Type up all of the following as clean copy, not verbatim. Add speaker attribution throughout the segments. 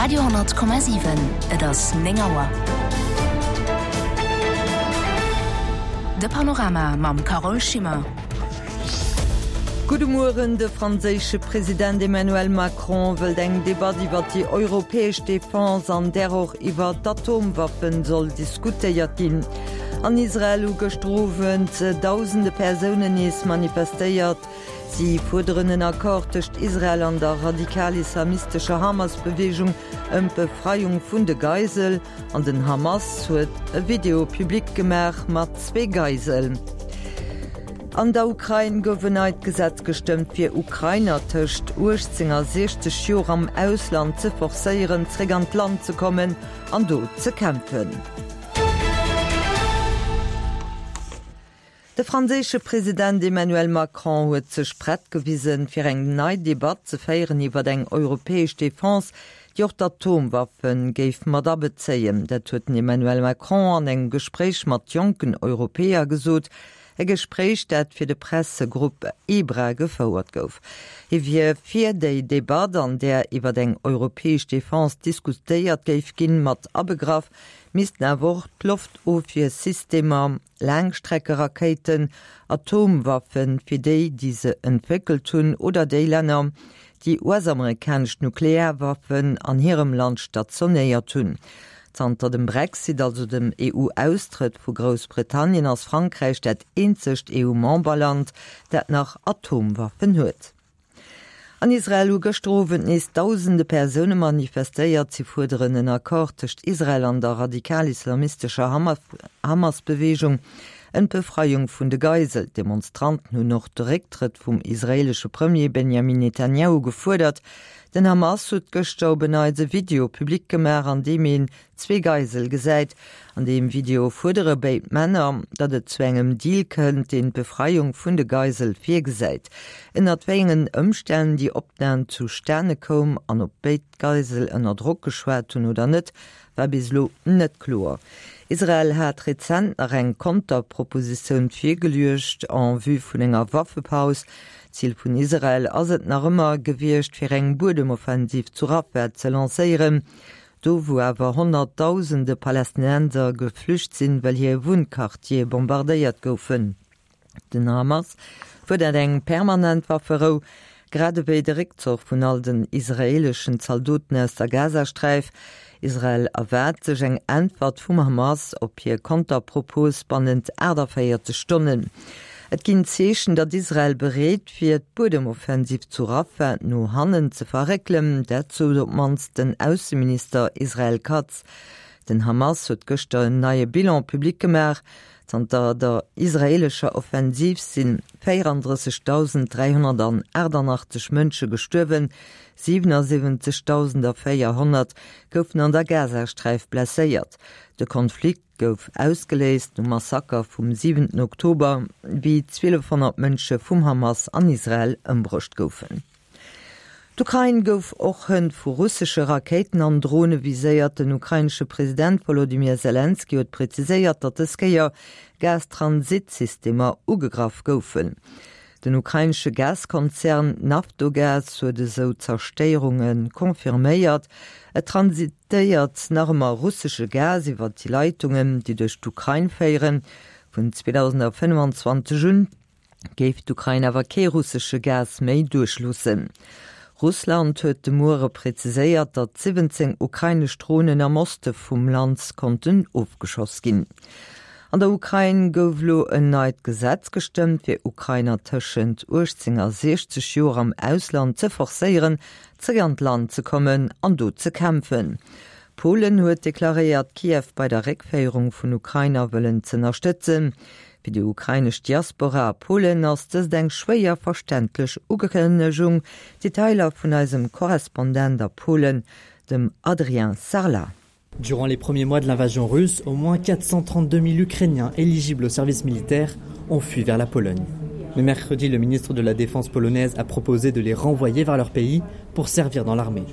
Speaker 1: Radio,7 Et ass 9 Auer. De Panorama mam Carole Schimmer.
Speaker 2: Gudde Mueren, De franséische President Emmanuel Macron wëllt eng Debatt iwwer déi europäesch Defense, an där och iwwer d'Atomwaffen soll diskutéiert ginn. An Israel hu gëschter Owend dausende Persounen nees manifestéiert. Si fuerderen en Accord tëscht Israel an der radikal-islamistescher Hamas-Beweegung ëm d'Befreiung vun de Geisel. An den Hamas huet e Video public gemaach mat zwee Geisel. An der Ukrain gouf en neit Gesetz gestëmmt, fir Ukrainer tëscht 18 a 60 Joer am Ausland ze forcéieren, zréck an d'Land ze kommen an do ze kämpfen. De franséische President Emmanuel Macron huet sech prett gewisen, fir eng nei Debatt ze féieren iwwer eng europäesch Defense, déi och d'Atomwaffe géif mat abezéien. Dat huet den Emmanuel Macron an engem Gespréich mat jonken Europäer gesot. E Gespréich, dat fir de Pressegrupp EBRA gefouert gouf. Hie wier fir déi Debatt, an där iwwer eng europäesch Defense diskutéiert géif ginn, mat abegraff missten awer och d'Loftofwiersystemer, Laangstreckerakéiten, Atomwaffen, fir déi, déi se entwéckelt hunn, oder déi Länner, déi US-amerikanesch Nuklearwaffen an hirem Land stationéiert hunn. Zanter dem Brexit, also dem EU-Austrëtt vu Groussbritannien, ass Frankräich dat eenzegt EU-Memberland, dat nach Atomwaffen huet. An Israel hu gëschter Owend nees dausende Persoune manifestéiert. Si fuerderen en Accord tëscht Israel an der radikal-islamistescher Hamas-Beweegung ëm d'Befreiung vun de Geisel. D'Demonstranten hunn och de Récktrëtt vum israeelesche Premier Benjamin Netanjahu gefuerdert. Den Hamas huet gëschter op en Neits e Video public gemaach, an deem een zwee Geisel gesäit. An deem Video fuerdere béid Männer, datt et zu engem Deal kënnt, deen d'Befreiung vun de Geisel virgesäit. Ënnert wéi engen Ëmstänn déi Opnam zustane koum an ob béid Geisel ënner Drock geschwat hunn oder net, war bis elo net kloer. Israel hat rezent nach eng Konterpropositioun virgeluecht en vue vun enger Waffepaus. Zil vun Israel ass et nach ëmmer gewiescht, fir eng Buedemoffensiv zu Rafah ze lancéieren. Do wou awer Honnertdausende Palästinenser geflücht sinn, well hir Wunnquartiere bombardéiert goufen. Den Hamas fuerdert eng permanent Wafferou, grad ewéi de Réckzoch vun all den israeeleschen Zaldoten aus der Gazasträif. Israel erwaart sech eng Äntwert vum Hamas op hir Konterpropos bannent 48 Stonnen. Et ginn Zeechen, datt Israel bereet wier, d'Buedemoffensiv zu Rafah no hannen ze verréckelen. Dat sot op d'mannst den Ausseminister Israel Katz. Den Hamas huet gëschter en neie Bilan public gemaach. Zanter der israeelescher Offensiv si 34.388 Mënsche gestuerwen, 77.400 goufen an der Gazasträif blesséiert. De Konflikt gouf ausgeléist nom Massaker vum siwenten Oktober, wéi 1.200 Mënsche vum Hamas an Israel ëmbruecht goufen. D'Ukrain gouf och hënt vu russesche Rakéiten an Drone viséiert. Den ukrainesche President Wolodymyr Selenskyj huet preziséiert, datt dës Kéier Gastransitsystemer ugegraff goufen. Den ukrainesche Gaskonzern Naftogaz huet esou Zerstéierunge confirméiert. Et transitéiert nach ëmmer russesche Gas iwwer déi Leitungen, déi duerch d'Ukrain féieren. Vun 2025 un géif d'Ukrain awer kee russesche Gas méi duerchloossen. Russland huet de Muere preziséiert, datt 17 ukrainesch Dronen am Oste vum Land konnten ofgeschoss ginn. An der Ukrain gouf elo en neit Gesetz gestëmmt, fir Ukrainer tëschent 18 a 60 Joer am Ausland ze forcéieren, zeréck an d'Land ze kommen an do ze kämpfen. Polen huet deklaréiert, Kiew bei der Réckféierung vun Ukrainer wëllen z'ënnerstëtzen. Fir déi ukrainesch Diaspora a Polen ass dëst eng schwéier verständlech Ukënnegung. Detailer vun eisem Korrespondent a Polen, dem Adrien Sarlat.
Speaker 3: Durant les premiers mois de l'invasion russe, au moins 432 000 Ukrainiens éligibles au service militaire ont fui vers la Pologne. Mais mercredi, le ministre de la Défense polonaise a proposé de les renvoyer vers leur pays pour servir dans l'armée.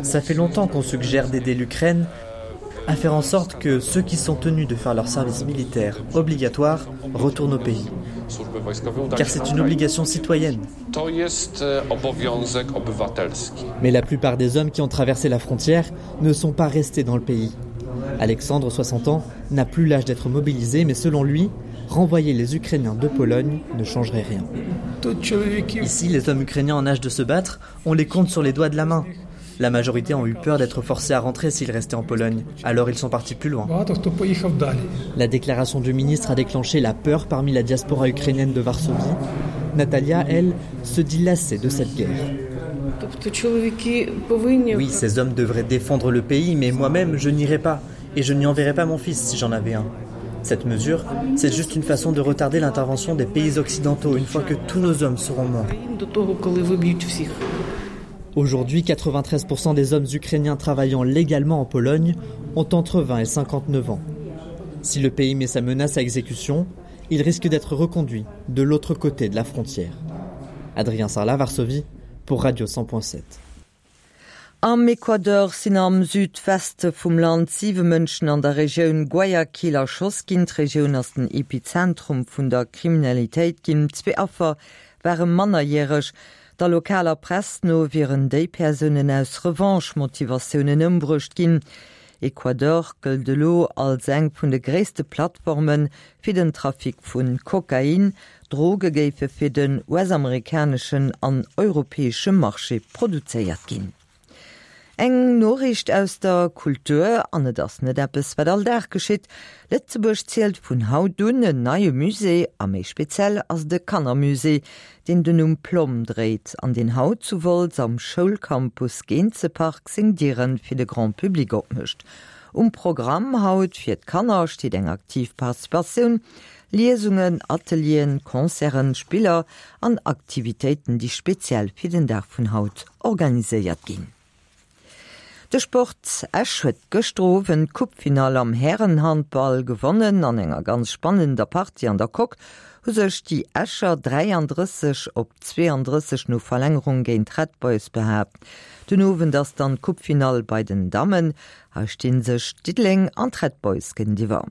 Speaker 3: Ça fait longtemps qu'on suggère d'aider l'Ukraine à faire en sorte que ceux qui sont tenus de faire leur service militaire obligatoire retournent au pays. Car c'est une obligation citoyenne. Mais la plupart des hommes qui ont traversé la frontière ne sont pas restés dans le pays. Alexandre, 60 ans, n'a plus l'âge d'être mobilisé, mais selon lui, renvoyer les Ukrainiens de Pologne ne changerait rien. Ici, les hommes ukrainiens en âge de se battre, on les compte sur les doigts de la main. La majorité ont eu peur d'être forcés à rentrer s'ils restaient en Pologne, alors ils sont partis plus loin. La déclaration du ministre a déclenché la peur parmi la diaspora ukrainienne de Varsovie. Natalia, elle, se dit lassée de cette guerre. Oui, ces hommes devraient défendre le pays, mais moi-même, je n'irai pas et je n'y enverrai pas mon fils si j'en avais un. Cette mesure, c'est juste une façon de retarder l'intervention des pays occidentaux une fois que tous nos hommes seront morts. Aujourd'hui, 93% des hommes ukrainiens travaillant légalement en Pologne ont entre 20 et 59 ans. Si le pays met sa menace à exécution, il risque d'être reconduit de l'autre côté de la frontière. Adrien Sarla Varsovie pour Radio 100.7.
Speaker 2: Am Equateur sinn am Südweste vum Land siwe Mënschen an der Regioun Guayaquil erschoss ginn. D'Regioun ass den Epizentrum vun der Kriminalitéit ginn. Zwee Affer ware mannerjäreg. Der lokaler Press no wieren déi Persounen aus Revanche-Motivatiounen ëmbruecht ginn. Ecuador gëllt elo als eng vun de gréisste Plattforme fir den Trafic vu Kokain. Droge géife fir den US-amerikaneschen an europäesche Marché produzéiert ginn. Eng Noriicht aus der Kultur, an et ass net eppes, wat all Dag geschitt, Lëtzebuerg zielt vun haut un en neie Musée, a méi speziell ass et e Kannermusée, deen den Numm Plomm dréit an deen haut zu Wolz am Schoulcampus Geenzepark seng Diere fir de Grand Public opmécht. Um Programm haut fir d'Kanner steet eng aktiv Participatioun, Liesungen, Atelieren, Concerten, Spiller an Aktivitéiten, déi speziell fir den Dag vun haut organiséiert ginn. De Sport, Esch huet gëschter Owend d'Coupefinall am Härenhandball gewonnen. An enger ganz spannender Partie an der Coque hu sech déi Escher 33 op 32 no Verlängerung géint d'Red Boys behaapt. Den Owend ass dann d'Coupefinall bei den Dammen. Hei sti sech Diddeleng an d'Red Boys géintiwwer.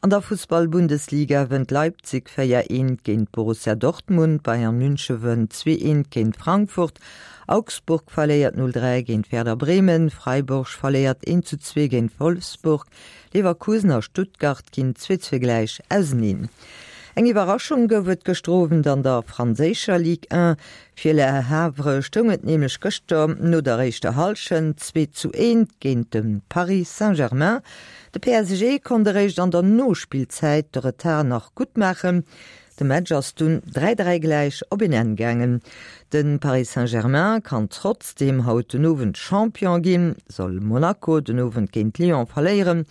Speaker 2: An der Fussball-Bundesliga wënnt Leipzig 4, 1 géint Borussia Dortmund, Bayern Münche wënnt 2, 1 géint Frankfurt, Augsburg verléiert 0, 3 géint Werder Bremen, Freiburg verléiert 1 zu 2 géint Wolfsburg, Leverkusen a Stuttgart ginn 2, 2 gläich auseneen. Eng Iwwerraschung gouf et gëschter Owend an der franséischer Ligue 1. Fir Le Havre stoung et nämlech gëschter no der éischter Hallschent 2 zu 1 géint de Paris Saint-Germain. De PSG konnt eréischt an der Nospillzäit de Retard nach gutt maachen. De Match ass dunn 3, 3 gläich op een Enn gaangen. De Paris Saint-Germain kann trotzdeem haut den Owend Champion ginn. Soll Monaco den Owend géint Lyon verléieren,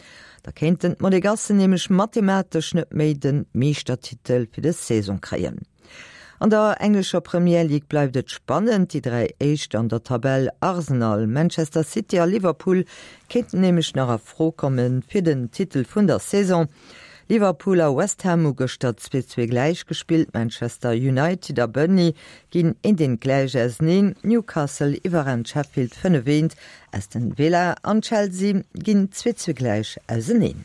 Speaker 2: da kéinten d'Monegassen nämlech mathematesch net méi de Meeschtertitel fir des Saison kréien. An der englescher Premier League bleift et spannend. Déi 3 Éischt an der Tabell, Arsenal, Manchester City a Liverpool, kéinten nämlech nach a Fro komme fir den Titel vun der Saison. Liverpool a West Ham hu gëschter 2, 2 gläich gespillt, Manchester United a Burnley ginn eent eent gläich auseneen, Newcastle iwwerrennt Sheffield 5, 1, Aston Villa an Chelsea ginn 2, 2 gläich auseneen.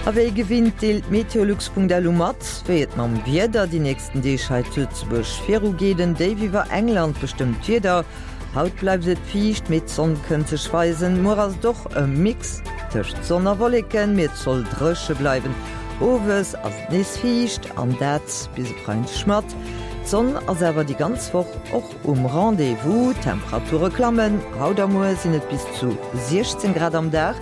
Speaker 2: A wéi gewinnt deelt Meteolux.lu mat, wéi et mam Wieder déi nächsten Deeg hei zu Lëtzebuerg virugeet. En Déif iwwer England bestëmmt d'Wieder. Haut bleift et fiicht, mee d'Sonn kënnt sech weisen. Muer ass et och e Mix tëscht Sonn a Wolleken, mee et soll dréche bleiwen. Owes ass et nees fiicht an dat bis e Freideg mat. D'Sonn ass awer déi ganz Woch och Um Rendez-vous, D'Temperature klammen, haut a muer sinn et bis zu 16 Grad am Dag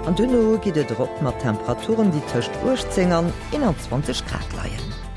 Speaker 2: an duerno geet et erop mat Temperaturen, déi tëscht 18 an 21 Grad leien.